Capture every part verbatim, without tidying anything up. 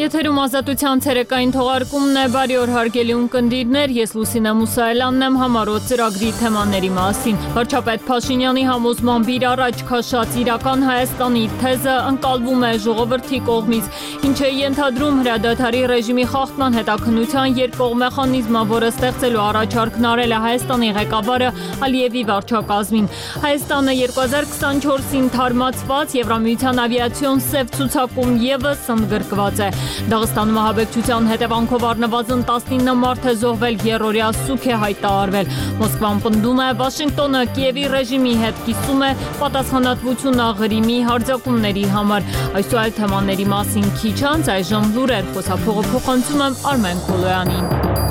Եթերում ազատության ցերեկային թողարկումն է, բարի օր հարգելի ունկնդիրներ, ես Լուսինե Մուսայելյանն եմ համառոտ ծրագրի թեմաների մասին։ Վարչապետ Փաշինյանի համոզմամբ իր առաջ քաշած իրական Հայաստանի թեզը ընկալվում է ժողովրդի կողմից, ինչ է ենթադրում հրադադարի ռեժիմի խախտման հետաքննության երկկողմ մեխանիզմը, որը ստեղծելու առաջարկն արել է Հայաստանի ղեկավարը Ալիևի վարչակազմին։ Հայաստանը երկու հազար քսանչորսին թարմացված Եվրամիության ավիացիոն սև ցուցակում ևս ընդգրկված է։ Դաղստանում ահաբեկչության հետևանքով առնվազն տասնինը մարդ է զոհվել, երրորդյա սուգ է հայտարարվել։ Մոսկվան պնդում է, Վաշինգտոնը Կիևի ռեժիմի հետ կիսում է պատասխանատվությունը Ղրիմի հարձակումների համար։ Այս ու այլ թեմաների մասին քիչ անց այժմ լուրեր, խոսափողը փոխանցում եմ Արմեն Քոլոյանին։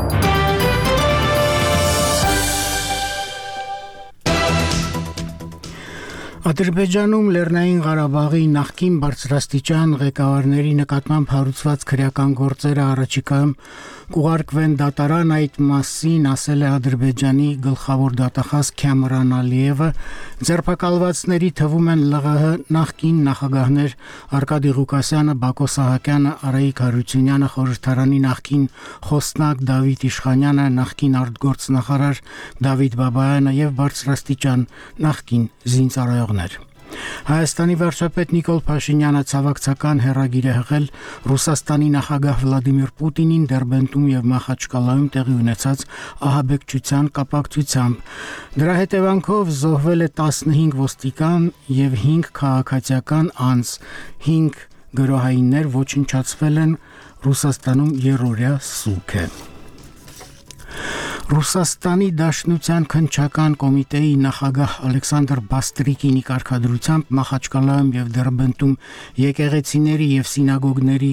Ադրբեջանում Լեռնային Ղարաբաղի նախկին բարձրաստիճան ղեկավարների նկատմամբ հարուցված քրեական գործերը առաջիկայում կուղարկվեն դատարան, այդ մասին ասել է Ադրբեջանի գլխավոր դատախազ Քամրան Ալիևը։ Ձերբակալվածների թվում են ԼՂՀ նախկին նախագահներ Արկադի Ղուկասյանը, Բակո Սահակյանը, Արայիկ Հարությունյանը, խորհրդարանի նախկին խոսնակ Դավիթ Իշխանյանը, նախկին արտգործնախարար Դավիթ Բաբայանը եւ բարձրաստիճան նախկին զինծառայողներ։ Հայաստանի վարչապետ Նիկոլ Փաշինյանը ցավակցական հեռագիր է հղել Ռուսաստանի նախագահ Վլադիմիր Պուտինին Դերբենտում եւ Մախաչկալայում տեղի ունեցած ահաբեկչության կապակցությամբ։ Դրա հետևանքով զոհվել է տասնհինգ ոստիկան եւ հինգ քաղաքացիական անձ, հինգ գրոհայիններ ոչնչացվել են, Ռուսաստանում երրորդյա սուգ է։ Ռուսաստանի Դաշնության քննչական կոմիտեի նախագահ Ալեքսանդր Բաստրիկինի կարգադրությամբ Մախաչկալայում եւ Դերբենտում եկեղեցիների եւ սինագոգների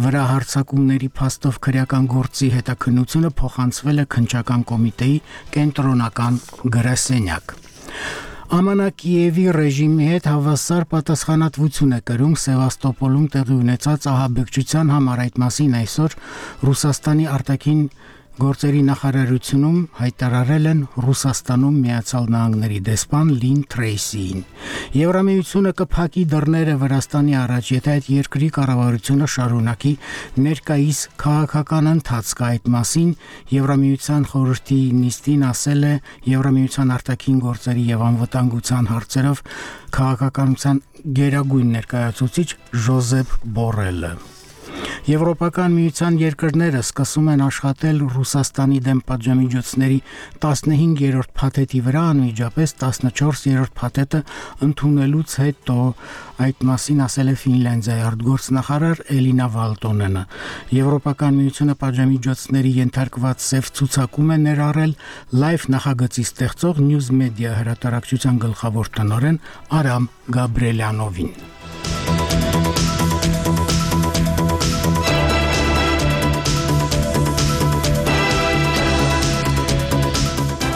վրա հարձակումների փաստով քրեական գործի հետաքննությունը փոխանցվել է քննչական կոմիտեի կենտրոնական գրասենյակ։ ԱՄՆ Կիևի ռեժիմի հետ հավասար պատասխանատվություն է կրում Սևաստոպոլում տեղի ունեցած ահաբեկչության համար, այդ մասին այսօր Ռուսաստանի արտաքին գործերի նախարարությունում հայտարարել են Ռուսաստանում Միացյալ Նահանգների դեսպան Լին Թրեյսիին։ Եվրամիությունը կփակի դռները Վրաստանի առաջ, եթե այդ երկրի կառավարությունը շարունակի ներկայիս քաղաքական ընթացքը, այդ մասին Եվրամիության խորհրդի նիստին ասել է Եվրամիության արտաքին գործերի եւ անվտանգության հարցերով քաղաքականության գերագույն ներկայացուցիչ Ժոզեփ Բորելը։ Եվրոպական միության երկրները սկսում են աշխատել Ռուսաստանի դեմ պատժամիջոցների տասնհինգերորդ փաթեթի վրա, անմիջապես տասնչորսերորդ փաթեթը ընդունելուց հետո, այդ մասին ասել է Ֆինլանդիայի արտգործնախարար Էլինա Վալտոնենը։ Եվրոպական միությունը պատժամիջոցների ենթարկված սև ցուցակում է ներառել լայվ նախագծի ստեղծող News Media հրատարակչության գլխավոր տնօրեն Արամ Գաբրելյանովին։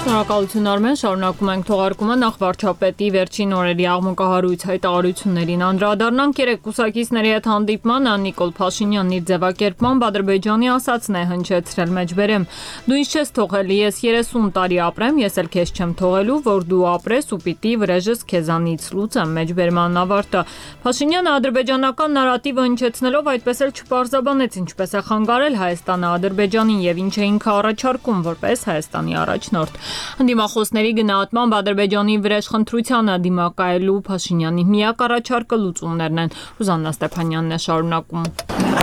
Շնորհակալություն Արմեն, շարունակում ենք թողարկումը, նախ վարչապետի վերջին օրերի աղմկահարույց հայտարարություններին անդրադառնանք։ Երեկ կուսակիցների հետ հանդիպմանը Նիկոլ Փաշինյանն իր ձևակերպմամբ Ադրբեջանի ասածն է հնչեցրել, մեջբերեմ, դու ինձ չես թողել, ես երեսուն տարի ապրեմ, ես էլ քեզ չեմ թողելու, որ դու ապրես ու պիտի վրեժս քեզանից լուծեմ, մեջբերման ավարտը։ Փաշինյանը ադրբեջանական նարատիվը հնչեցնելով այդպես էլ չպարզաբանեց ինչպես է խանգարել Հայաստանը Ադրբեջանին եւ ինչ է ինքը առաջարկում որպես Հայաստանի առաջնորդ։ Դիմախոսների գնահատմամբ Ադրբեջանի վրեժխնդրությանը դիմակայելու Փաշինյանի միակ առաջարկը լուծումներն են։ Ռուզաննա Ստեփանյանն է շարունակում։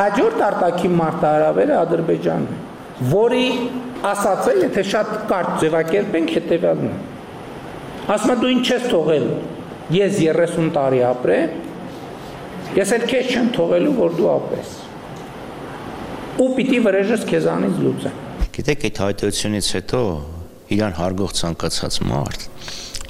Հաջորդ արտաքին մարտահրավերը Ադրբեջանն է, որի ասացը, եթե շատ կարճ ձևակերպենք, հետևյալն է։ Ասում է դու ինչ ես թողել, ես երեսուն տարի ապրեմ, ես էլ քեզ չեմ թողելու, որ դու ապրես։ Ու պիտի վրեժս քեզանից լուծեմ։ Գիտեք, այդ հայտարարությունից հետո իրան հարգող ցանկացած մարդ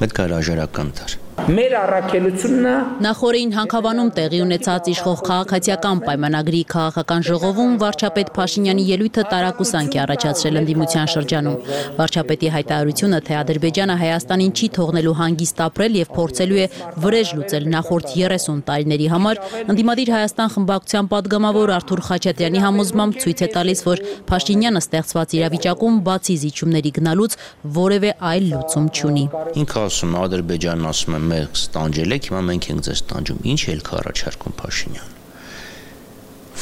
պետք է հրաժարական տար։ Մեր առաքելությունն Նախորդին Հանքավանում տեղի ունեցած իշխող քաղաքացիական պայմանագրի քաղաքական ժողովում վարչապետ Փաշինյանի ելույթը տարակուսանք է առաջացրել ընդդիմության շրջանում։ Վարչապետի հայտարարությունը, թե Ադրբեջանը Հայաստանին չի թողնելու հանգիստ ապրել եւ փորձելու է վրեժ լուծել նախորդ երեսուն տարիների համար, ընդդիմադիր Հայաստան խմբակցության падգամավոր Արթուր Խաչատրյանի համոզմամբ ցույց է տալիս, որ Փաշինյանը ստեղծված իրավիճակում բացի զիջումների գնալուց որևէ այլ լուծում չունի։ Ինքը ասում է Ադրբեջանն ասում է մենք ստանջել եք, հիմա մենք ենք ձեզ ստանջում։ Ինչ ելք առաջարկում Փաշինյանը։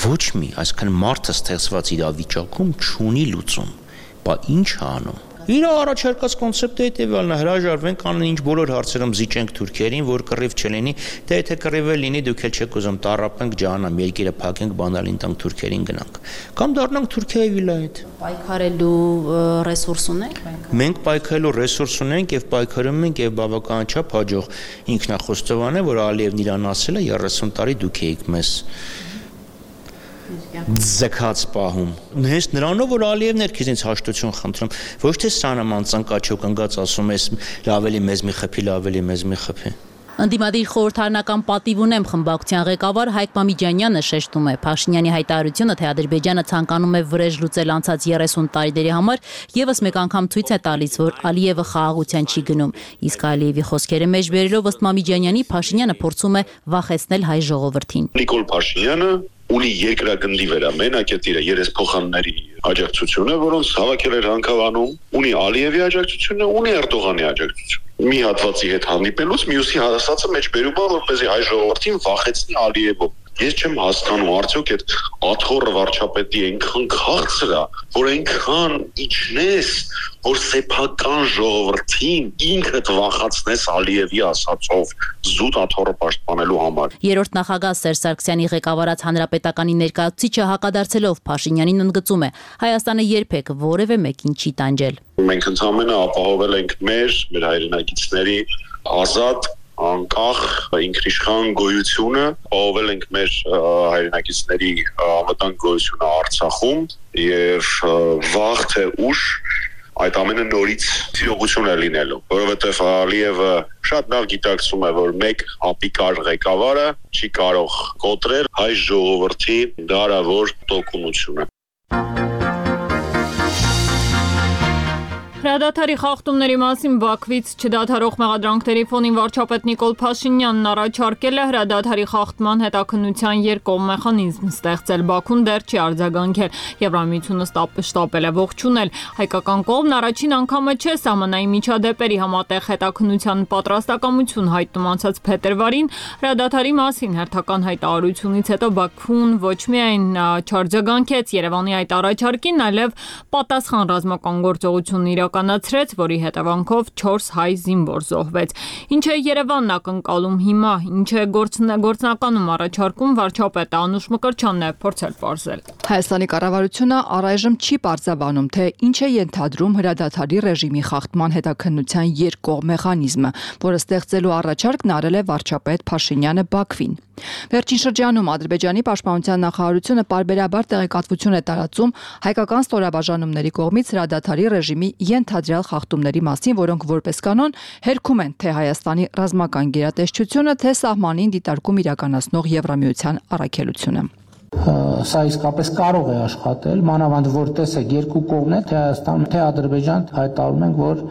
ոչ մի, այսինքն մարդը ստեղծված իրավիճակում չունի լուծում։ Բա ինչ է անում։ Իր առաջարկած կոնցեպտը հետևյալն է՝ հրաժարվենք անեն ինչ բոլոր հարցերում զիջենք թուրքերին, որ կռիվ չլինի, դե եթե կռիվ լինի, դուք էլ չեք ուզում տառապենք, ջահանամ, երկիրը փակենք, բանալին տանք թուրքերին գնանք։ Կամ դառնանք Թուրքիայի վիլայետ։ Պայքարելու ռեսուրս ունենք մենք։ Մենք պայքարելու ռեսուրս ունենք եւ պայքարում ենք եւ բավականաչափ հաջող ինքնախոստովան է, որ Ալիևն իրան ասել է երեսուն տարի դուք եք մեզ ձգած պահում։ Հենց նրանով որ Ալիևն էր քեզնից հաշտություն խնդրում, ոչ թե սանաման ծնկաչոք ընկած ասում ես լավելի մեզ մի խփի, լավելի մեզ մի խփի։ Ընդդիմադիր խորհրդարանական պատիվ ունեմ խմբակցության ղեկավար Հայկ Մամիջանյանը շեշտում է Փաշինյանի հայտարարությունը, թե Ադրբեջանը ցանկանում է վրեժ լուծել անցած երեսուն տարիների համար, եւս մեկ անգամ ցույց է տալիս, որ Ալիևը խաղաղության չի գնում։ Իսկ Ալիևի խոսքերը մեջ բերելով ըստ Մամիջանյանի Փաշինյանը փորձում է վախեցնել հայ ժողովրդին։ Նիկոլ Փաշինյանը ունի երկրագնդի վրա մենակ իր երեսփոխանների աջակցությունը, որոնց հավաքել էր Հանքավանում, ունի Ալիևի աջակցությունը, ունի Էրդողանի աջակցությունը։ Մի հատվածի հետ հանդիպելուց մյուսի հասածը մեջ բերում է, որպեսզի հայ ժողովրդին վախեցնի Ալիևով։ Ես չեմ հասկանում, արդյոք այդ աթոռը վարչապետի այնքան քաղցր է, որ այնքան իջնես, որ սեփական ժողովրդին ինքդ վախացնես Ալիևի ասածով զուտ աթոռը պաշտպանելու համար։ Երրորդ նախագահ Սերժ Սարգսյանի ղեկավարած հանրապետականի ներկայացուցիչը հակադարձելով Փաշինյանին ընդգծում է. Հայաստանը երբեք որևէ մեկին չի տանջել։ Մենք ընդհանրապես ապահովել ենք մեր, մեր հայրենակիցների ազատ անկախ ինքնիշխան գոյությունը, ապահովել ենք մեր հայրենակիցների անվտանգ գոյությունը Արցախում եւ վաղ թե ուշ այդ ամենը նորից իրողություն է լինելու, որովհետեւ Ալիևը շատ լավ գիտակցում է, որ մեկ ապիկար ղեկավարը չի կարող կոտրել հայ ժողովրդի դարավոր տոկունությունը։ Հրադադարի խախտումների մասին Բաքվից չդադարող մեղադրանքների ֆոնին վարչապետ Նիկոլ Փաշինյանն առաջարկել է հրադադարի խախտման հետաքննության երկկողմ մեխանիզմ ստեղծել։ Բաքուն դեռ չի արձագանքել, Եվրամիությունը շտապել է ողջունել։ Հայկական կողմն առաջին անգամը չէ սահմանային միջադեպերի համատեղ հետաքննության պատրաստակամություն հայտնում անցած փետրվարին։ Հրադադարի մասին հերթական հայտարարությունից հետո Բաքուն ոչ միայն չարձագանքեց Երևանի այդ առաջարկին, այլև պատասխան ռազմական գործողություն իրականացրեց, որի հետևանքով չորս հայ զինվոր զոհվեց։ Ինչ է Երևանն ակնկալում հիմա, ինչ է գործնականում առաջարկում վարչապետը Անուշ Մկրտչյանն է փորձել պարզել։ Հայաստանի կառավարությունը առայժմ չի պարզաբանում, թե ինչ է ենթադրում հրադադարի ռեժիմի խախտման հետաքննության երկկողմ մեխանիզմը, որը ստեղծելու առաջարկն արել է վարչապետ Փաշինյանը Բաքվին։ Վերջին շրջանում Ադրբեջանի պաշտպանության նախարարությունը պարբերաբար տեղեկատվություն է տարածում հայկական ստորաբաժանումների կողմից հրադադարի ռեժիմի ենթադրյալ խախտումների մասին, որոնք որպես կանոն հերքում են թե Հայաստանի ռազմական գերատեսչությունը, թե սահմանին դիտարկում իրականացնող Եվրամիության առաքելությունը։ Սա իսկապես կարող է աշխատել, մանավանդ որ տեսեք երկու կողմն է, թե Հայաստան, թե Ադրբեջան հայտարարում են, որ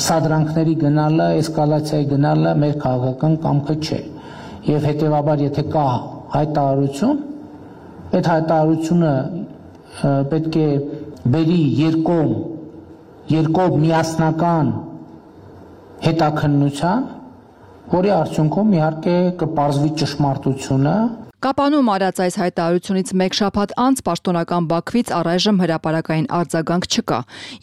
սադրանքների գնալը, էսկալացիայի գնալը մեր քաղաքական կամքը չէ։ Եվ հետևաբար եթե կա հայտարարություն, այդ հայտարարությունը պետք է բերի երկկողմ երկկողմ միասնական հետաքննության, որի արդյունքում իհարկե կպարզվի ճշմարտությունը։ Կապանում արած այս հայտարարությունից մեկ շաբաթ անց պաշտոնական Բաքվից առայժմ հրապարակային արձագանք չկա։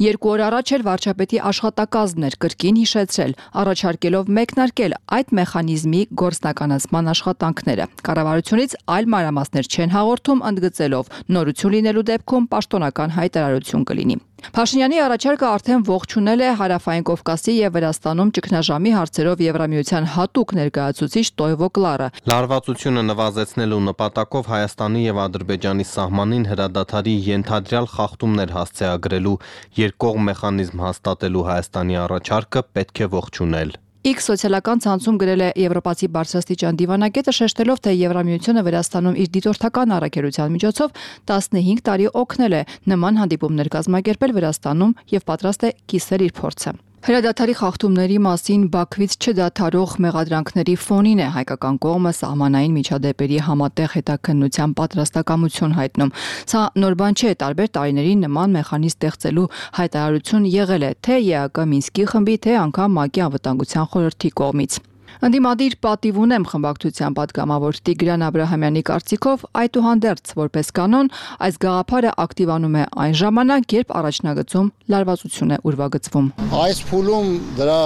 Երկու օր առաջ էր վարչապետի աշխատակազմն էր կրկին հիշեցրել, առաջարկելով մեկնարկել այդ մեխանիզմի գործնականացման աշխատանքները։ Կառավարությունից այլ մանրամասներ չեն հաղորդում, ընդգծելով նորություն լինելու դեպքում պաշտոնական հայտարարություն կլինի։ Փաշինյանի առաջարկը արդեն ողջունել է Հարավային Կովկասի եւ Վրաստանում ճգնաժամի հարցերով Եվրամիության հատուկ ներկայացուցիչ Տոյվո Կլարը։ Լարվածությունը նվազեցնելու նպատակով Հայաստանի եւ Ադրբեջանի սահմանին հրադադարի ենթադրյալ խախտումներ հասցեագրելու երկկողմ մեխանիզմ հաստատելու Հայաստանի առաջարկը պետք է ողջունել։ X սոցիալական ցանցում գրել է եվրոպացի բարձրաստիճան դիվանագետը, շեշտելով, թե Եվրամիությունը Վրաստանում իր դիտորդական առաքելության միջոցով տասնհինգ տարի օգնել է նման հանդիպումներ կազմակերպել Վրաստանում եւ պատրաստ է կիսել իր փորձը։ Հրադադարի խախտումների մասին Բաքվից չդադարող մեղադրանքների ֆոնին է հայկական կողմը սահմանային միջադեպերի համատեղ հետաքննության պատրաստակամություն հայտնում։ Սա նոր բան չէ, տարբեր տարիներին նման մեխանիզմ ստեղծելու հայտարարություն եղել է թե ԵԱԿ Մինսկի խմբի, թե անգամ ՄԱԿ-ի անվտանգության խորհրդի կողմից։ Ընդդիմադիր պատիվ ունեմ խմբակցության պատգամավոր Տիգրան Աբրահամյանի կարծիքով այդուհանդերձ որպես կանոն այս գաղափարը ակտիվանում է այն ժամանակ, երբ առաջնագծում լարվածություն է ուրվագծվում։ Այս փուլում դրա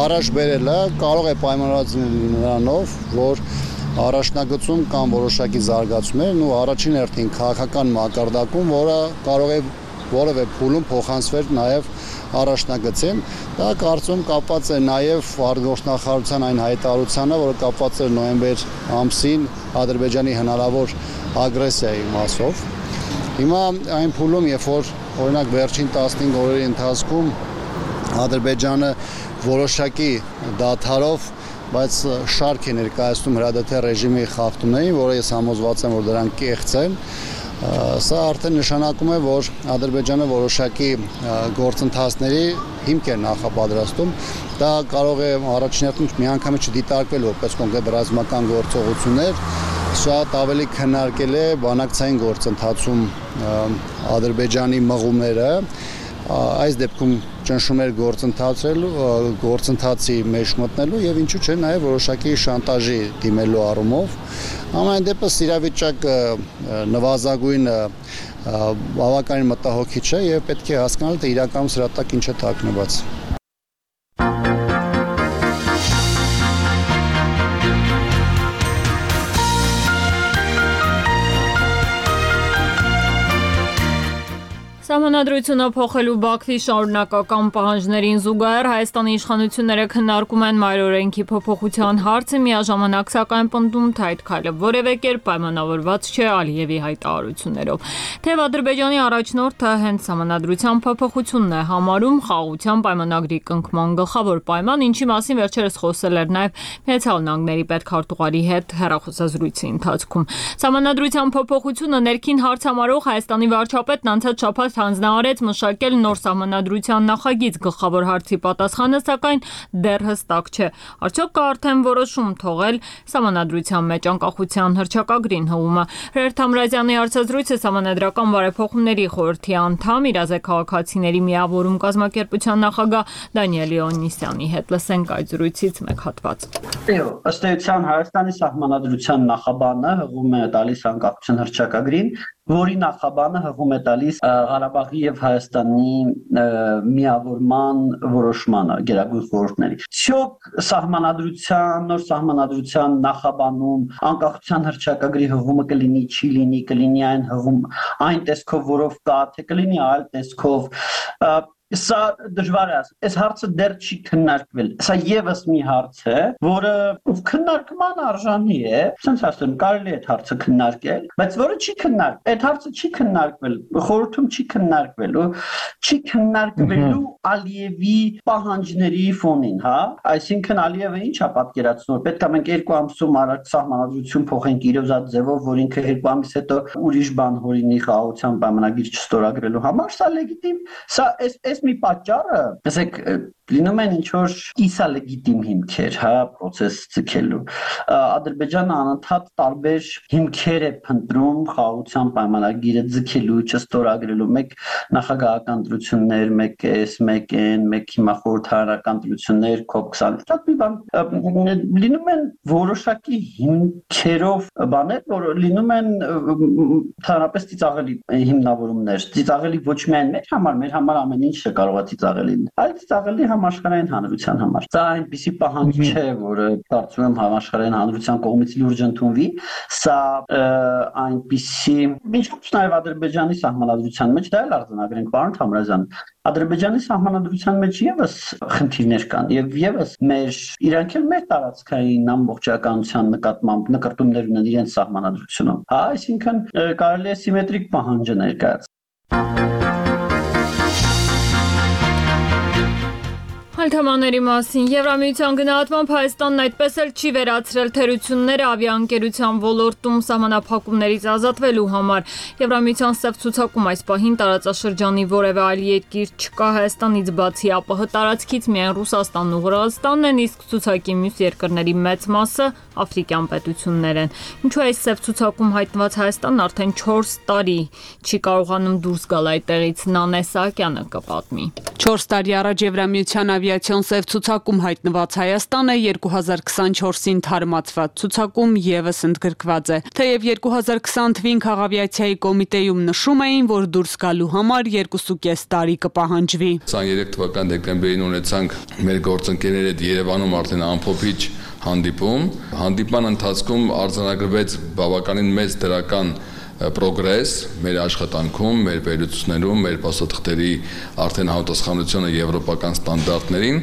առաջ բերելը կարող է պայմանավորված լինել նրանով, որ առաջնագծում կան որոշակի զարգացումներ ու առաջին հերթին քաղաքական մակարդակում, որը կարող է որևէ փուլում փոխանցվել նաև առաջնագծին, դա կարծում կապված է նաև արտգործնախարարության այն հայտարարությանը, որը կապված էր նոյեմբեր ամսին Ադրբեջանի հնարավոր ագրեսիայի մասով։ Հիմա այն փուլում, երբ որ օրինակ վերջին տասնհինգ օրերի ընթացքում Ադրբեջանը որոշակի դադարով, բայց շարք է ներկայացնում հրադադար ռեժիմի խախտումներին, որը ես համոզված եմ, որ դրանք կեղծ են։ Սա արդեն նշանակում է, որ Ադրբեջանը որոշակի գործընթացների հիմք է նախապատրաստում։ Դա կարող է առաջին հերթին միանգամից չդիտարկվել որպես կոնկրետ ռազմական գործողություններ, շատ ավելի քննարկել է բանակցային գործընթացում Ադրբեջանի մղումները, այս դեպքում ճնշում էր գործընթացելու, գործընթացի մեջ մտնելու եւ ինչու՞ չէ նաեւ որոշակի շանտաժի դիմելու առումով։ Ամեն դեպս իրավիճակը նվազագույն բավականին մտահոգիչ է եւ պետք է հասկանալ, թե իրականում սրա տակ ինչ է թաքնված։ Սահմանադրությունը փոխելու Բաքվի շարունակական պահանջներին զուգահեռ Հայաստանի իշխանությունները քննարկում են մայրօրենքի փոփոխության հարցը, միաժամանակ սակայն պնդում, թե այդ քայլը որևէ կերպ պայմանավորված չէ Ալիևի հայտարարություններով։ Թեև Ադրբեջանի առաջնորդը հենց սահմանադրության փոփոխությունն է համարում խաղաղության պայմանագրի կնքման գլխավոր պայման, ինչի մասին վերջերս խոսել էր նաև Միացյալ Նահանգների պետքարտուղարի հետ հեռախոսազրույցի ընթացքում։ Սահմանադրության փոփոխությունը ներքին հարց համարող Հայաստանի վարչապետն անցած շաբաթ հանձնարարեց մշակել նոր սահմանադրության նախագիծ, գլխավոր հարցի պատասխանը սակայն դեռ հստակ չէ։ Արդյոք կա արդեն որոշում թողել սահմանադրության մեջ անկախության հռչակագրին հղումը։ Հրեր Թամրազյանի հարցազրույցը Սահմանադրական բարեփոխումների խորհրդի անդամ Իրազեկ քաղաքացիների միավորում կազմակերպության նախագահ Դանիել Օնիսյանի հետ։ Լսենք այդ զրույցից մեկ հատված։ Ըստ էության Հայաստանի սահմանադրության նախաբանը հղում է տալիս անկախության հռչակագրին, որի նախաբանը հղում է տալիս Ղարաբաղի եւ Հայաստանի միավորման որոշմանը գերագույն խորհուրդների։ Շոկ սահմանադրության, նոր սահմանադրության նախաբանում անկախության հռչակագրի հղումը կլինի, չի լինի, կլինի այն հղում այն տեսքով, որով կա, թե կլինի այլ տեսքով։ Սա դժվար է ասել, այս հարցը դեռ չի քննարկվել։ Սա եւս մի հարց է, որը քննարկման արժանի է, ասենք ասեմ, կարելի է այդ հարցը քննարկել, բայց որը չի քննարկվել։ Այդ հարցը չի քննարկվել, խորհրդում չի քննարկվել, չի քննարկվելու Ալիևի պահանջների ֆոնին, հա։ Այսինքն Ալիևը ինչ է պատկերացնում, պետք է մենք երկու ամսում առաջ սահմանադրություն փոխենք իրոզած ձևով, որ ինքը երկու ամիս հետո ուրիշ բան հորինի խաղաղության պայմանագիր չստորագրելու համար, սա լեգիտիմ, սա այս մի պատճառը, ասեք, լինում են ինչ-որ կիսա լեգիտիմ հիմքեր, հա, process ցկելու։ Ադրբեջանը անընդհատ տարբեր հիմքեր է փնտրում խաղաղության պայմանագիրը ցկելու, չստորագրելու, մեկ նախագահական դրություններ, մեկ էս, մեկ են, մեկ հիմա խորհրդարանական դրություններ, կոպ քսան, շատ մի բան լինում են որոշակի հիմքերով բաներ, որ լինում են թարապես ծիծաղելի հիմնավորումներ, ծիծաղելի ոչ միայն մեր համար, մեր համար ամեն ինչ կարող է ծիծաղելի, այլ ծիծաղելի համաշխարհային հանրության համար։ Սա այնպիսի պահանջ չէ, որը կարծում եմ համաշխարհային հանրության կողմից լուրջ ընդունվի, սա այնպիսի ինչպես նաև Ադրբեջանի սահմանադրության մեջ դա էլ արձանագրենք, պարոն Թամրազյան, Ադրբեջանի սահմանադրության մեջ եւս խնդիրներ կան եւ եւս մեր իրանք էլ մեր տարածքային ամբողջականության նկատմամբ նկարտումներ ունեն իրենց սահմանադրությունում։ Հա, այսինքն կարելի է սիմետրիկ պահանջը ներկայացնել։ Թեմաների մասին Եվրամիության գնահատմամբ Հայաստանն այդպես էլ չի վերացրել թերությունները ավիաընկերության ոլորտում սահմանափակումներից ազատվելու համար։ Եվրամիության սև ցուցակում այս պահին տարածաշրջանի որևէ այլ երկիր չկա Հայաստանից բացի ԱՊՀ տարածքից միայն Ռուսաստանն ու Վրաստանն են, իսկ ցուցակի մյուս երկրների մեծ մասը աֆրիկյան պետություններ են։ Ինչու այս սև ցուցակում հայտնված Հայաստանն արդեն չորս տարի չի կարողանում դուրս գալ այդտեղից, Նանե Սահակյանը կպատմի։ չորս տարի առաջ Եվրամիության ավիա ավիացիոն սև ցուցակում հայտնված Հայաստանը երկու հազար քսանչորսին թարմացված ցուցակում եւս ընդգրկված է։ Թեև երկու հազար քսան թվին քաղավիացիայի կոմիտեում նշում էին, որ դուրս գալու համար երկու կես տարի կպահանջվի։ քսաներեք թվական դեկտեմբերին ունեցանք մեր գործընկերների հետ Երևանում արդեն ամփոփիչ հանդիպում։ Հանդիպման ընթացքում արձանագրվեց բավականին մեծ դրական պրոգրես մեր աշխատանքում, մեր վերլուծություններում, մեր փաստաթղթերի արդեն համապատասխանությունը եվրոպական ստանդարտներին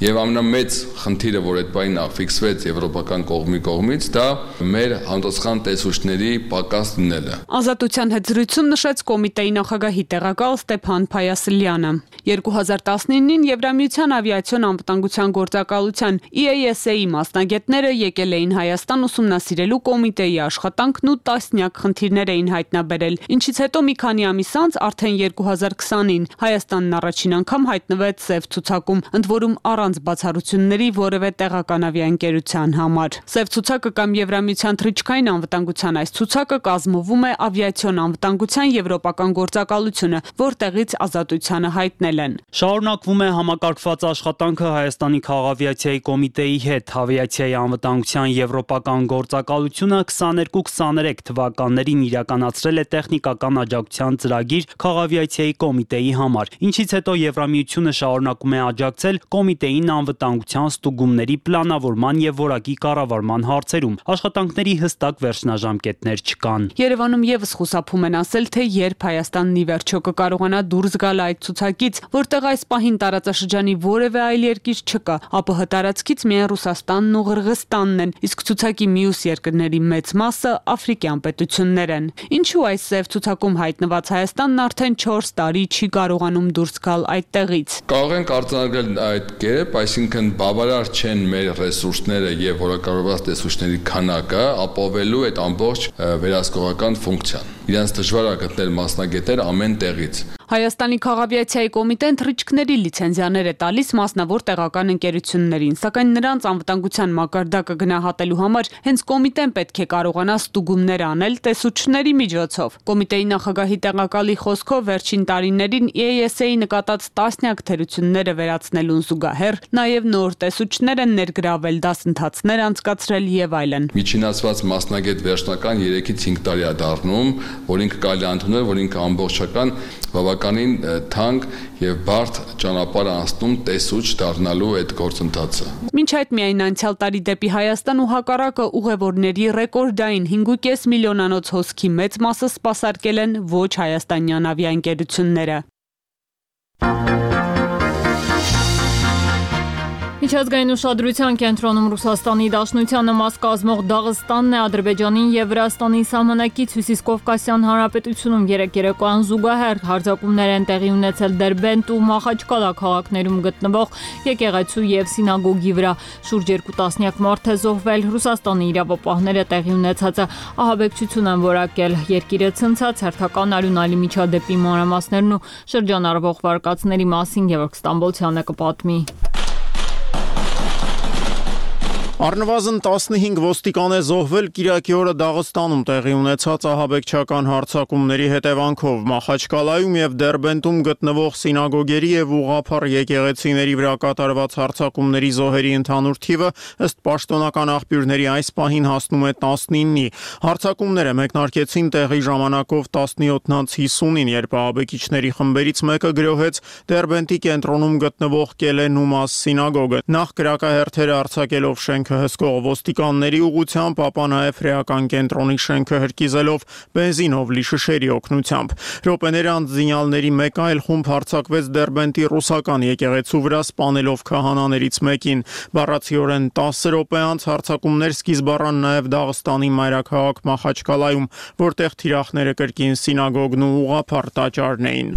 եւ ամենամեծ խնդիրը, որ այդ բանին ֆիքսվեց եվրոպական կողմի կողմից, դա մեր համապատասխան տեսուչների պակաս լինելը։ Ազատության հետ զրույցում նշեց կոմիտեի նախագահի տեղակալ Ստեփան Փայասլյանը։ երկու հազար տասնինին Եվրամիության ավիացիոն անվտանգության գործակալության E A S A-ի մասնագետները եկել էին Հայաստան ուսումնասիրելու կոմիտեի աշխատանքն ու տասնյակ խնդիրներ էին հայտնաբերել, ինչից հետո մի քանի ամիս անց արդեն երկու հազար քսանին Հայաստանն առաջին անգամ հայտնվեց սև ցուցակում, ընդ որում առանց բացառությունների որևէ տեղական ավիաընկերության համար։ Սև ցուցակը կամ Եվրամիության թռիչքային անվտանգության այս ցուցակը կազմվում է ավիացիոն անվտանգության եվրոպական գործակալությունը, որտեղից ազատությանը հայտնել են։ Շարունակվում է համակարգված աշխատանքը Հայաստանի քաղավիացիայի կոմիտեի հետ։ Ավիացիայի անվտանգության եվրոպական գործակալությունը քսաներկու քսաներեք թվականներին իրականացրել է տեխնիկական աջակցության ծրագիր քաղավիացիայի կոմիտեի համար, ինչից հետո Եվրամիությունը շարունակում է աջակցել կոմիտեին անվտանգության ստուգումների պլանավորման եւ որակի կառավարման հարցերում։ Աշխատանքների հստակ վերջնաժամկետներ չկան։ Երևանում եւս խուսափում են ասել, թե երբ Հայաստանն ի վերջո կկարողանա դուրս գալ այդ ցուցակից, որտեղ այս պահին տարածաշրջանի որևէ այլ երկիր չկա, ԱՊՀ տարածքից միայն Ռուսաստանն ու Ղրղստանն են, իսկ ցուցակի մյուս երկրների մեծ մասը աֆրիկյան պետություններ են։ Ինչու այս սև ցուցակում հայտնված Հայաստանն արդեն չորս տարի չի կարողանում դուրս գալ այդտեղից։ Կարող ենք արձանագրել այդ կերպ, այսինքն բավարար չեն մեր ռեսուրսները եւ որակավորված տեսուչների քանակը ապավելու այդ ամբողջ վերահսկողական ֆունկցիան։ Իրանց դժվար է գտնել մասնագետներ ամեն տեղից։ Հայաստանի քաղավիացիայի կոմիտեն թռիչքների լիցենզիաներ է տալիս մասնավոր տեղական ընկերություններին, սակայն նրանց անվտանգության մակարդակը գնահատելու համար հենց կոմիտեն պետք է կարողանա ստուգումներ անել տեսուչների միջոցով։ Կոմիտեի նախագահի տեղակալի խոսքով վերջին տարիներին E A S A-ի նկատած տասնյակ թերությունները վերացնելուն զուգահեռ նաև նոր տեսուչներ են ներգրավել, դասընթացներ անցկացրել եւ այլն։ Միջինացված մասնագետ վերջնական երեքից հինգ տարի է դառնում, որ ինքը կարելի է ընդունել, որ ինքը ամբողջական բավականին թանկ եւ բարդ ճանապարհ անցնում տեսուչ դառնալու այդ գործընթացը։ Մինչ այդ միայն անցյալ տարի դեպի Հայաստան ու հակառակը ուղևորների ռեկորդային հինգ ու կես միլիոնանոց հոսքի մեծ մասը սպասարկել են ոչ հայաստանյան ավիաընկերությունները։ Միջազգային ուշադրության կենտրոնում Ռուսաստանի Դաշնությանը մաս կազմող Դաղստանն է Ադրբեջանին եւ Վրաստանի սահմանակից Հյուսիսկովկասյան Հանրապետությունում երեք երեկոյան զուգահեռ հարձակումներ են տեղի ունեցել Դերբենտ ու Մախաչկալա քաղաքներում գտնվող եկեղեցու եւ սինագոգի վրա։ Շուրջ երկու տասնյակ մարդ է զոհվել։ Ռուսաստանի իրավապահները տեղի ունեցածը ահաբեկչություն են որակել։ Երկիրը ցնցած հերթական արյունալի միջադեպի մանրամասներն ու շրջանառվող վարկածների մասին Գևորգ Ստամբոլցյանը կպատմի։ Առնվազն տասնհինգ ոստիկան է զոհվել Կիրակի օրը Դաղստանում տեղի ունեցած ահաբեկչական հարձակումների հետևանքով։ Մախաչկալայում եւ Դերբենտում գտնվող սինագոգերի եւ ուղղափառ եկեղեցիների վրա կատարված հարձակումների զոհերի ընդհանուր թիվը ըստ պաշտոնական աղբյուրների այս պահին հասնում է տասնինի։ Հարձակումները մեկնարկեցին տեղի ժամանակով տասնյոթ հիսունին, երբ ահաբեկիչների խմբերից մեկը գրոհեց Դերբենտի կենտրոնում գտնվող Կելե Նումաս սինագոգը։ Նախ կրակահերթերը արձակելով շենք հսկող ոստիկանների ուղղությամբ, ապա նաև հրեական կենտրոնի շենքը հրկիզելով բենզինով լի շշերի օգնությամբ։ Րոպեների անց զինյալների մեկ այլ խումբ հարձակվեց Դերբենտի ռուսական եկեղեցու վրա, սպանելով քահանաներից մեկին։ Բառացիորեն տասը րոպե անց հարձակումներ սկիզբ առան նաև Դաղստանի մայրաքաղաք Մախաչկալայում, որտեղ թիրախները կրկին սինագոգն ու ուղղափառ տաճարն էին։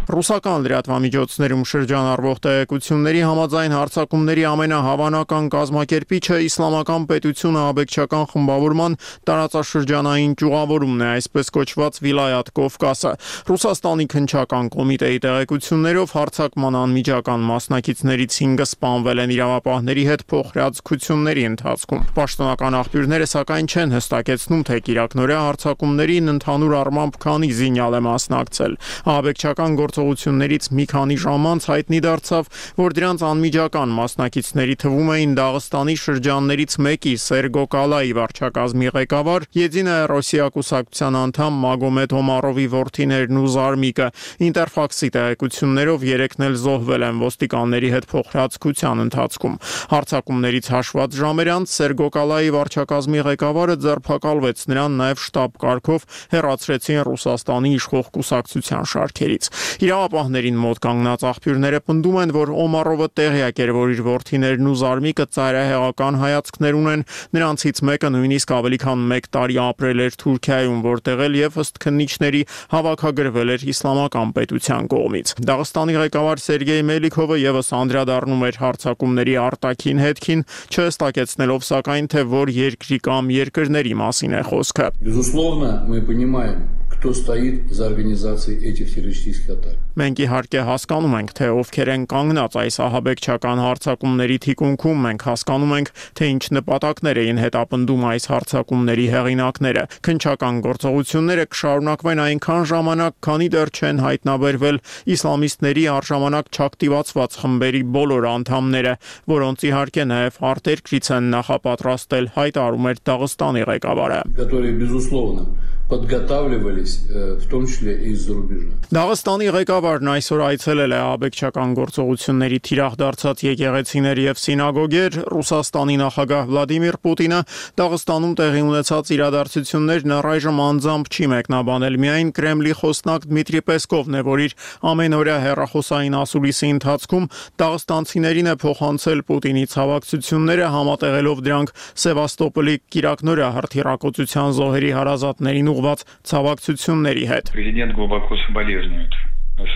Ռուսական լրատվամիջոցներում շրջանառվող տեղեկությունների համաձայն հարձակումների ամենահավանական կազմակերպիչը Իսլամական պետությունը ահաբեկչական խմբավորման տարածաշրջանային ճյուղավորումն է, այսպես կոչված Վիլայաթ Կովկասը։ Ռուսաստանի քննչական կոմիտեի տեղեկություններով հարձակման անմիջական մասնակիցներից հինգը սպանվել են իրավապահների հետ փոխհրաձգությունների ընթացքում։ Պաշտոնական աղբյուրները սակայն չեն հստակեցնում, թե կիրակնօրյա հարձակումներին ընդհանուր առմամբ քանի զինյալ է մասնակցել։ Ահաբեկչական գործ գործողություններից մի քանի ժամ անց հայտնի դարձավ, որ դրանց անմիջական մասնակիցների թվում էին Դաղստանի շրջաններից մեկի Սերգոկալայի վարչակազմի ղեկավար, Եդինայա Ռոսիա կուսակցության անդամ Մագոմեդ Հոմարովի որդիներն ու զարմիկը։ Ինտերֆաքսի տեղեկություններով երեքն էլ զոհվել են ոստիկանների հետ փոխհրաձգության ընթացքում։ Հարձակումներից հաշված ժամեր անց Սերգոկալայի վարչակազմի ղեկավարը ձերբակալվեց, նրան նաև շտաբ կարգով հեռացրեցին Ռուսաստանի իշխող կուսակցության շարքերից։ Իրավապահներին մոտ կանգնած աղբյուրները պնդում են, որ Օմարովը տեղյակ էր, որ իր որդիներն ու զարմիկը ծայրահեղական հայացքներ ունեն, նրանցից մեկը նույնիսկ ավելի քան մեկ տարի ապրել էր Թուրքիայում, որտեղ էլ եւ ըստ քննիչների հավաքագրվել էր իսլամական պետության կողմից։ Դաղստանի ղեկավար Սերգեյ Մելիքովը եւս անդրադառնում էր հարձակումների արտաքին հետքին, չհստակեցնելով սակայն, թե որ երկրի կամ երկրների մասին է խոսքը։ Безусловно, мы понимаем, кто стоит за организацией этих террористических атак. Մենք իհարկե հասկանում ենք, թե ովքեր են կանգնած այս ահաբեկչական հարձակումների թիկունքում, մենք հասկանում ենք, թե ինչ նպատակներ էին հետապնդում այս հարձակումների հեղինակները։ Քննչական գործողությունները կշարունակվեն այնքան ժամանակ, քանի դեռ չեն հայտնաբերվել իսլամիստների առժամանակ չակտիվացված խմբերի բոլոր անդամները, որոնց իհարկե նաև արտերկրից են նախապատրաստել, հայտարարում էր Դաղստանի ղեկավարը։ Которые, безусловно, подготавливались, в том числе и из-за рубежа. Դաղստանի ղեկավարն այսօր այցելել է ահաբեկչական գործողությունների թիրախ դարձած եկեղեցիներ եւ սինագոգեր։ Ռուսաստանի նախագահ Վլադիմիր Պուտինը Դաղստանում տեղի ունեցած իրադարձություններն առայժմ անձամբ չի մեկնաբանել, միայն Կրեմլի խոսնակ Դմիտրի Պեսկովն է, որ իր ամենօրյա հեռախոսային ասուլիսի ընթացքում դաղստանցիներին է փոխանցել Պուտինի ցավակցությունները, համատեղելով դրանք Սևաստոպոլի Կիրակնորյա հրթիռակոծության զոհերի հարազատներին ուղղված ցավակցությունների հետ։ Президент глубоко соболезнует.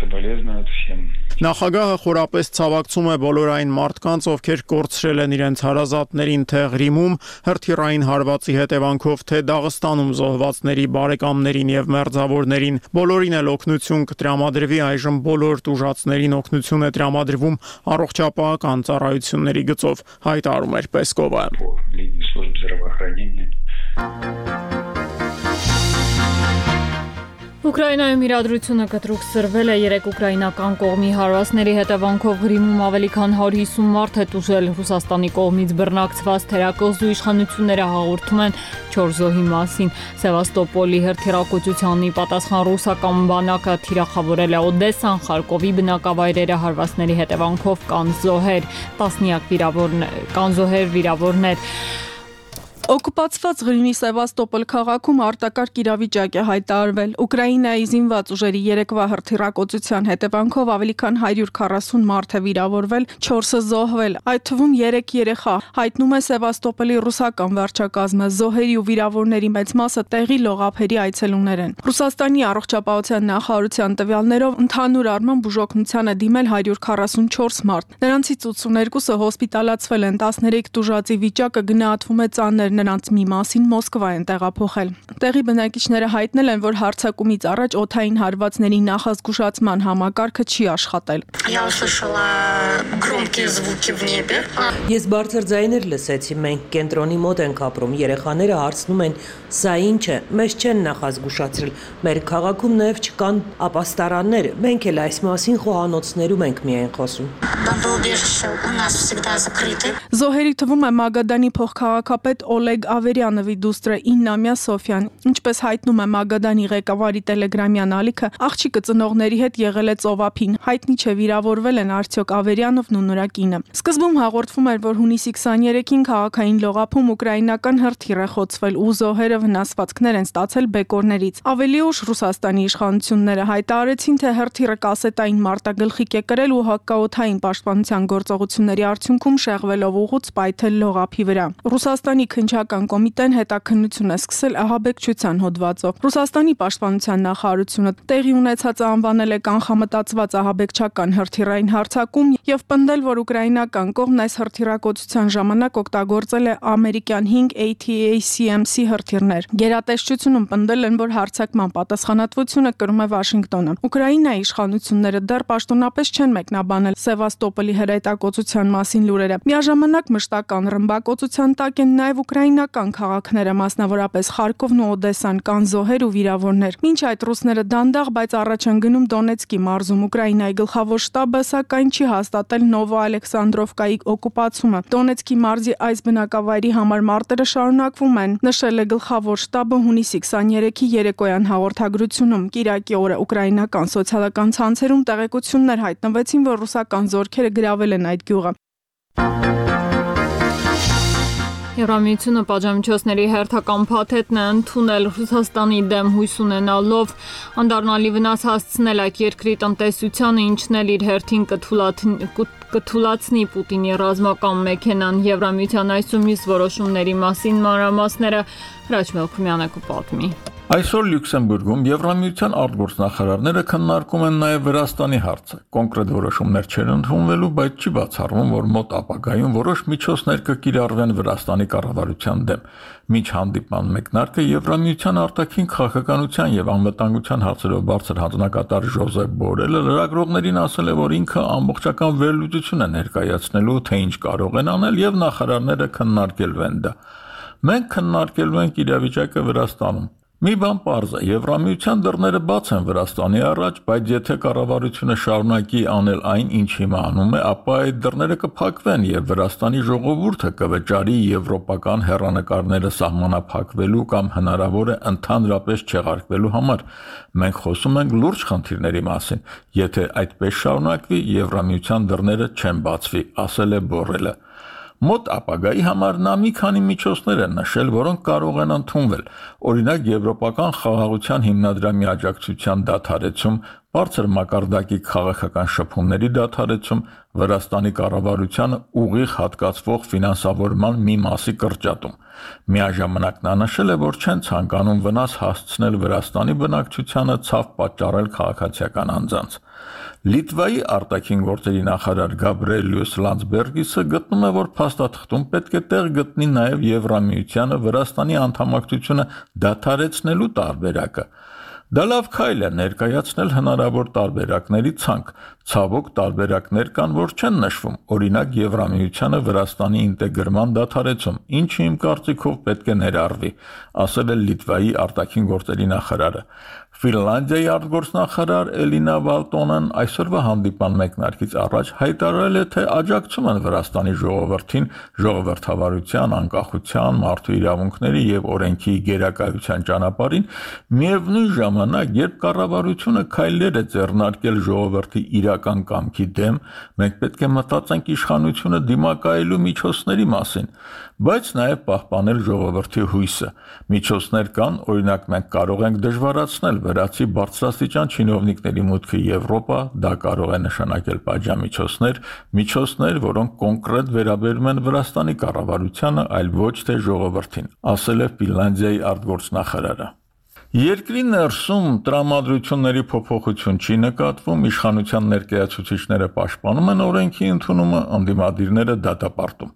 Соболезнует всем. Նախագահը խորապես ցավակցում է բոլոր այն մարդկանց, ովքեր կորցրել են իրենց հարազատներին թե Ղրիմում հրթիռային հարվածի հետևանքով, թե Դաղստանում զոհվածների բարեկամներին եւ մերձավորներին։ Բոլորին էլ օգնություն կտրամադրվի, այժմ բոլոր տուժածներին օգնություն է տրամադրվում առողջապահական ծառայությունների գծով, հայտարարում էր Պեսկովը։ Ուկրաինայում իրադրությունը կտրուկ սրվել է երեք ուկրաինական կողմի հարվածների հետևանքով Ղրիմում ավելի քան հարյուր հիսուն մարդ է տուժել։ Ռուսաստանի կողմից բռնակցված թերակղզու իշխանությունները հաղորդում են չորս զոհի մասին։ Սևաստոպոլի հրթիռակոծությանն ի պատասխան ռուսական բանակը թիրախավորել է Օդեսան, Խարկովի բնակավայրերը, հարվածների հետևանքով կան զոհեր, տասնյակ վիրավորներ, կան զոհեր, վիրավորներ։ Օկուպացված Ղրիմի Սևաստոպոլ քաղաքում արտակարգ իրավիճակ է հայտարարվել։ Ուկրաինայի զինված ուժերի երեկվա հրթիռակոծության հետևանքով ավելի քան հարյուր քառասուն մարդ է վիրավորվել, չորսը զոհվել, այդ թվում երեք երեխա, հայտնում է Սևաստոպոլի ռուսական վարչակազմը։ Զոհերի ու վիրավորների մեծ մասը տեղի լողափերի այցելուներ են։ Ռուսաստանի առողջապահության նախարարության տվյալներով ընդհանուր առմամբ բուժօգնության է դիմել հարյուր քառասուն չորս մարդ։ Նրանցից ութսուներկուսը հոսպիտալացվել են, տասներեք տուժածի վիճակը գնահատվում է ծանր, նրանց մի մասին Մոսկվա են տեղափոխել։ Տեղի բնակիչները հայտնել են, որ հարձակումից առաջ օդային հարվածների նախազգուշացման համակարգը չի աշխատել։ Ես բարձր ձայներ լսեցի, մենք կենտրոնի մոտ ենք ապրում, երեխաները հարցնում են, սա ինչ է, մեզ չեն նախազգուշացրել, մեր քաղաքում նաև չկան ապաստարաններ, մենք էլ այս մասին խոհանոցներում ենք միայն խոսում։ Զոհերի թվում է Մագադանի փոխքաղաքապետ Օլեգ Ավերյանովի դուստրը իննամյա Սոֆյան։ Ինչպես հայտնում է Մագադանի ղեկավարի տելեգրամյան ալիքը, աղջիկը ծնողների հետ եղել է ծովափին։ Հայտնի չէ վիրավորվել են արդյոք Ավերյանովն ու նրա կինը։ Սկզբում հաղորդվում էր, որ հունիսի քսաներեքին քաղաքային լողափում ուկրաինական հրթիռ է խոցվել ու զոհերը վնասվածքներ են ստացել բեկորներից։ Ավելի ուշ Ռուսաստանի իշխանությունները հայտարարեցին, թե հրթիռը կասետային մարտագլխիկ է կրել ու հակաօդային պաշտպանության գործողությունների արդյունքում շեղվելով ուղուց պայթել լողափի վրա։ Ռուսաստանի քննչական կոմիտեն հետաքննություն է սկսել ահաբեկչության հոդվածով։ Ռուսաստանի պաշտպանության նախարարությունը տեղի ունեցածը անվանել է կանխամտածված ահաբեկչական հրթիռային հարձակում եւ պնդել, որ ուկրաինական կողմն այս հրթիռակոծության ժամանակ օգտագործել է ամերիկյան հինգ A T A C M C հրթիռներ։ Գերատեսչությունում պնդել են, որ հարձակման պատասխանատվությունը կրում է Վաշինգտոնը։ Ուկրաինայի իշխանությունները դեռ պաշտոնապես չեն մեկնաբանել Սևաստոպոլի հրետակոծության մասին լուրերը։ Միաժամանակ մշտական ռմբակոծության տակ են նաև ուկրաինական քաղաքները, մասնավորապես Խարկովն ու Օդեսան, կան զոհեր ու վիրավորներ։ Մինչ այդ ռուսները դանդաղ, բայց առաջ են գնում Դոնեցկի մարզում։ Ուկրաինայի գլխավոր շտաբը սակայն չի հաստատել Նովոալեքսանդրովկայի օկուպացումը։ Դոնեցկի մարզի այս բնակավայրի համար մարտերը շարունակվում են, նշել է գլխավոր շտաբը հունիսի քսաներեքի երեկոյան հաղորդագրությունում։ Կիրակի օրը ուկրաինական սոցիալական ցանցերում տեղեկություններ հայտնվեցին, որ ռուսական զորքերը գրավել են այդ գյուղը։ Եվրամիությունը պատժամիջոցների հերթական փաթեթն է ընդունել Ռուսաստանի դեմ հույս ունենալով անդառնալի վնաս հասցնել այդ երկրի տնտեսությանը, ինչն էլ իր հերթին կթուլացնի Պուտինի ռազմական մեքենան։ Եվրամիության այսօր մյուս որոշումների մասին մանրամասները Հրաչ Մելքումյանը կպատմի։ Այսօր Լյուքսեմբուրգում Եվրամիության արտգործնախարարները քննարկում են նաև Վրաստանի հարցը։ Կոնկրետ որոշումներ չեն ընդունվելու, բայց չի բացառվում, որ մոտ ապագայում որոշ միջոցներ կկիրառվեն Վրաստանի կառավարության դեմ։ Մինչ հանդիպման մեկնարկը Եվրամիության արտաքին քաղաքականության եւ անվտանգության հարցերով բարձր հանձնակատար Ժոզեփ Բորելը լրագրողներին ասել է, որ ինքը ամբողջական վերլուծություն է ներկայացնելու, թե ինչ կարող են անել, եւ նախարարները քննարկելու են դա։ Մենք քննարկելու ենք իրավիճակը Վրաստանում։ Մի բան պարզ է, Եվրամիության դռները բաց են Վրաստանի առաջ, բայց եթե կառավարությունը շարունակի անել այն, ինչ հիմա անում է, ապա այդ դռները կփակվեն եւ Վրաստանի ժողովուրդը կվճարի եվրոպական հեռանկարները սահմանափակվելու կամ հնարավոր է ընդհանրապես չեղարկվելու համար։ Մենք խոսում ենք լուրջ խնդիրների մասին։ Եթե այդպես շարունակվի, Եվրամիության դռները չեն բացվի, ասել է Բորելը։ Մոտ ապագայի համար նա մի քանի միջոցներ են նշել, որոնք կարող են ընդունվել։ Օրինակ, եվրոպական խաղաղության հիմնադրամի աջակցության դադարեցում, բարձր մակարդակի քաղաքական շփումների դադարեցում, Վրաստանի կառավարությանը ուղիղ հատկացվող ֆինանսավորման մի մասի կրճատում։ Միաժամանակ նա նշել է, որ չեն ցանկանում վնաս հասցնել Վրաստանի բնակչությանը, ցավ պատճառել քաղաքացիական անձանց։ Լիտվայի արտաքին գործերի նախարար Գաբրիելյուս Լանdsբերգիսը գտնում է, որ փաստաթղթում պետք է տեղ գտնի նաև Եվրամիությանը Վրաստանի անդամակցությունը դադարեցնելու տարբերակը։ Դա լավ քայլ է ներկայացնել հնարավոր տարբերակների ցանկ։ Ցավոք տարբերակներ կան, որ չեն նշվում, օրինակ Եվրամիությանը Վրաստանի ինտեգրման դադարեցում, ինչը իմ կարծիքով պետք է ներառվի, ասել է Լիտվայի արտաքին գործերի նախարարը։ Ֆինլանդիայի արտգործնախարար Էլինա Վալտոնեն այսօրվա հանդիպան մեկնարկից առաջ հայտարարել է, թե աջակցում են Վրաստանի ժողովրդին ժողովրդավարության, անկախության, մարդու իրավունքների եւ օրենքի գերակայության ճանապարհին, միևնույն ժամանակ, երբ կառավարությունը քայլեր է ձեռնարկել ժողովրդի իրական կամքի դեմ, մենք պետք է մտածենք իշխանությունը դիմակայելու միջոցների մասին, բայց նաև պահպանել ժողովրդի հույսը։ Միջոցներ կան, օրինակ մենք կարող ենք դժվարացնել վրացի բարձրաստիճան չինովնիկների մուտքը Եվրոպա, դա կարող է նշանակել պատժամիջոցներ, միջոցներ, որոնք կոնկրետ վերաբերում են Վրաստանի կառավարությանը, այլ ոչ թե ժողովրդին, ասել է Ֆինլանդիայի արտգործնախարարը։ Երկրի ներսում տրամադրությունների փոփոխություն չի նկատվում, իշխանության ներկայացուցիչները պաշտպանում են օրենքի ընդունումը, ընդդիմադիրները դատապարտում։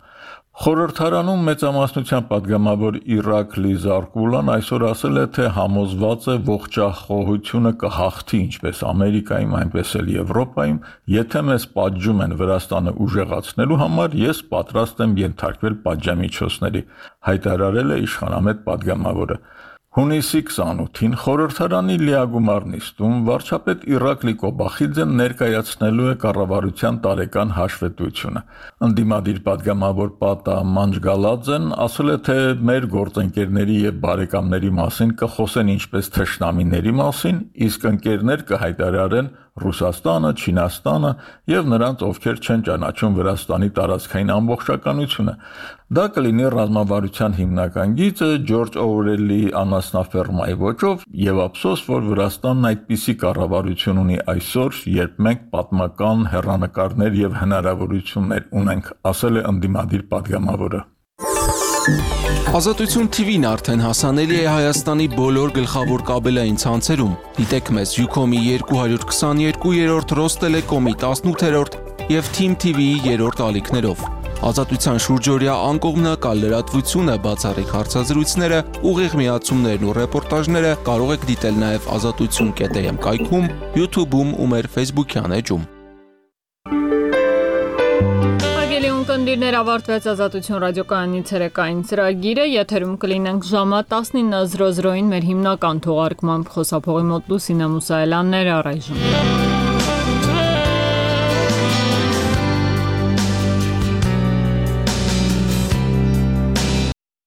Խորհրդարանում մեծամասնության падգամավոր Իրակլի Զարկուլան այսօր ասել է, թե համոզված է ողջախոհությունը կհաղթի ինչպես Ամերիկայում, այնպես էլ Եվրոպայում, եթե մեզ պատժում են Վրաստանը ուժեղացնելու համար, ես պատրաստ եմ ենթարկվել պատժամիջոցների, հայտարարել է իշխանամետ падգամավորը։ Հունիսի քսանութին խորհրդարանի լիագումար նիստում վարչապետ Իրակլի Կոբախիձեն ներկայացնելու է կառավարության տարեկան հաշվետվությունը։ Ընդդիմադիր падգամավոր Պատա Մանջգալաձեն ասել է, թե մեր գործընկերների եւ բարեկամների մասին կխոսեն ինչպես թշնամիների մասին, իսկ ընկերներ կհայտարարեն Ռուսաստանը, Չինաստանը եւ նրանց, ովքեր չեն ճանաչում Վրաստանի տարածքային ամբողջականությունը։ Դա կլինի ռազմավարության հիմնական գիծը Ջորջ Օրվելի անասնաֆերմայի ոճով եւ ափսոս, որ Վրաստանն այդպիսի կառավարություն ունի այսօր, երբ մենք պատմական հեռանկարներ եւ հնարավորություններ ունենք, ասել է ընդդիմադիր падգամավորը։ Ազատություն T V-ն արդեն հասանելի է Հայաստանի բոլոր գլխավոր կաբելային ցանցերում։ Դիտեք մեզ Ucom-ի երկու հարյուր քսաներկու, Ռոստելեկոմի տասնութերորդ եւ Team T V-ի երրորդ ալիքներով։ Ազատության շուրջօրյա անկողմնակալ լրատվությունը, բացառիկ հարցազրույցները, ուղիղ միացումներն ու ռեպորտաժները կարող եք դիտել նաև ազատություն կետ am կայքում, YouTube-ում ու մեր Facebook-յան էջում։ Ունկնդիրներ ավարտվեց Ազատություն ռադիոկայանի ցերեկային ծրագիրը, եթերում կլինենք ժամը տասնինը զրո զրոին մեր հիմնական թողարկմամբ խոսափողի մոտ Լուսինե Մուսայելյանն էր առայժմ։